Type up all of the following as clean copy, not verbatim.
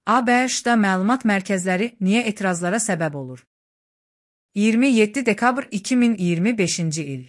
ABŞ-da məlumat mərkəzləri niyə etirazlara səbəb olur? 27 dekabr 2025-ci il.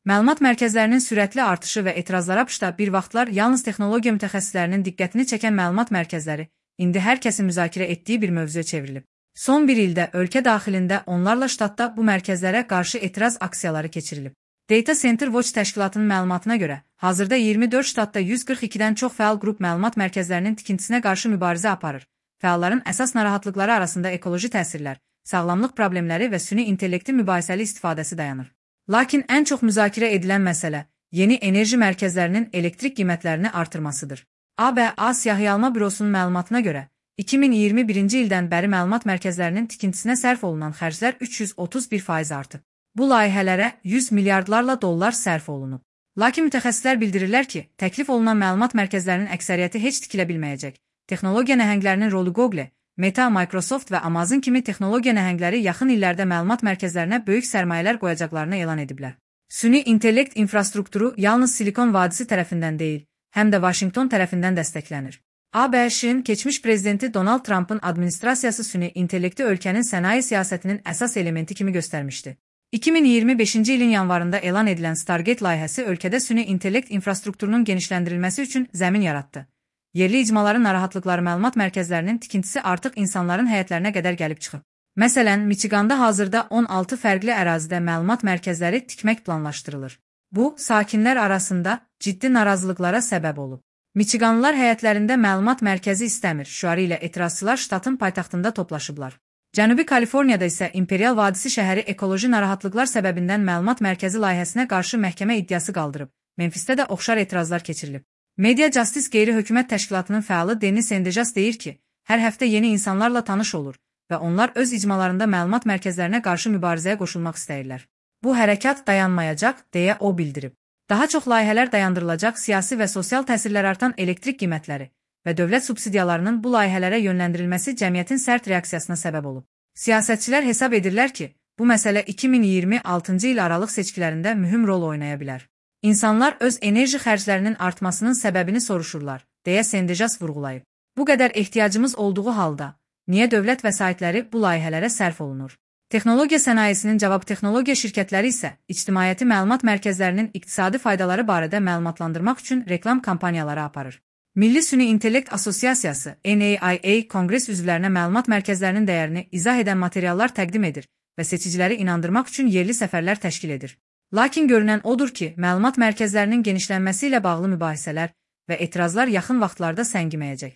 Məlumat mərkəzlərinin sürətli artışı və etirazlar ABŞ-da bir vaxtlar yalnız texnologiya mütəxəssislərinin diqqətini çəkən məlumat mərkəzləri indi hər kəsin müzakirə etdiyi bir mövzuya çevrilib. Son bir ildə ölkə daxilində onlarla ştatda bu mərkəzlərə qarşı etiraz aksiyaları keçirilib. Data Center Watch təşkilatının məlumatına görə, hazırda 24 ştatda 142-dən çox fəal qrup məlumat mərkəzlərinin tikintisinə qarşı mübarizə aparır. Fəalların əsas narahatlıqları arasında ekoloji təsirlər, sağlamlıq problemləri və süni intellektin mübahisəli istifadəsi dayanır. Lakin ən çox müzakirə edilən məsələ yeni enerji mərkəzlərinin elektrik qiymətlərini artırmasıdır. ABA Siyahıyalma Bürosunun məlumatına görə, 2021-ci ildən bəri məlumat mərkəzlərinin tikintisinə sərf olunan xərclər 331% artıb. Bu layihələrə 100 milyardlarla dollar sərf olunub. Lakin mütəxəssislər bildirirlər ki, təklif olunan məlumat mərkəzlərinin əksəriyyəti heç tikilə bilməyəcək. Texnologiya nəhənglərinin rolu Google, Meta, Microsoft və Amazon kimi texnologiya nəhəngləri yaxın illərdə məlumat mərkəzlərinə böyük sərmayələr qoyacaqlarını elan ediblər. Süni intellekt infrastrukturu yalnız Silikon vadisi tərəfindən deyil, həm də Washington tərəfindən dəstəklənir. ABŞ-in keçmiş prezidenti Donald Trump'ın administrasiyası süni intellekti ölkənin sənaye siyasətinin əsas elementi kimi göstərmişdi. 2025-ci ilin yanvarında elan edilən Stargate layihəsi ölkədə süni intellekt infrastrukturunun genişləndirilməsi üçün zəmin yaratdı. Yerli icmaların narahatlıqları məlumat mərkəzlərinin tikintisi artıq insanların həyətlərinə qədər gəlib çıxıb. Məsələn, Michiganda hazırda 16 fərqli ərazidə məlumat mərkəzləri tikmək planlaşdırılır. Bu, sakinlər arasında ciddi narazılıqlara səbəb olub. Michiganlılar həyətlərində məlumat mərkəzi istəmir şüarı ilə etirazçılar ştatın paytaxtında toplaşıblar. Cənubi Kaliforniyada isə İmperial Vadisi şəhəri ekoloji narahatlıqlar səbəbindən məlumat mərkəzi layihəsinə qarşı məhkəmə iddiası qaldırıb. Memfisdə də oxşar etirazlar keçirilib. Media Justice qeyri-hökumət təşkilatının fəalı Dennis Sendejas deyir ki, hər həftə yeni insanlarla tanış olur və onlar öz icmalarında məlumat mərkəzlərinə qarşı mübarizəyə qoşulmaq istəyirlər. Bu hərəkat dayanmayacaq, deyə o bildirib. Daha çox layihələr dayandırılacaq, siyasi və sosial təsirlər artan elektrik qiymətləri və dövlət subsidiyalarının bu layihələrə yönləndirilməsi cəmiyyətin sərt reaksiyasına səbəb olub. Siyasətçilər hesab edirlər ki, bu məsələ 2026-cı il aralıq seçkilərində mühüm rol oynaya bilər. İnsanlar öz enerji xərclərinin artmasının səbəbini soruşurlar, deyə Sendejas vurğulayıb. Bu qədər ehtiyacımız olduğu halda, niyə dövlət vəsaitləri bu layihələrə sərf olunur? Texnologiya sənayesinin cavab texnologiya şirkətləri isə ictimaiyyəti məlumat mərkəzlərinin iqtisadi faydaları barədə məlumatlandırmaq üçün reklam kampaniyaları aparır. Milli Süni İntellekt Asosiasiyası NAIA konqres üzvlərinə məlumat mərkəzlərinin dəyərini izah edən materiallar təqdim edir və seçiciləri inandırmaq üçün yerli səfərlər təşkil edir. Lakin görünən odur ki, məlumat mərkəzlərinin genişlənməsi ilə bağlı mübahisələr və etirazlar yaxın vaxtlarda səngiməyəcək.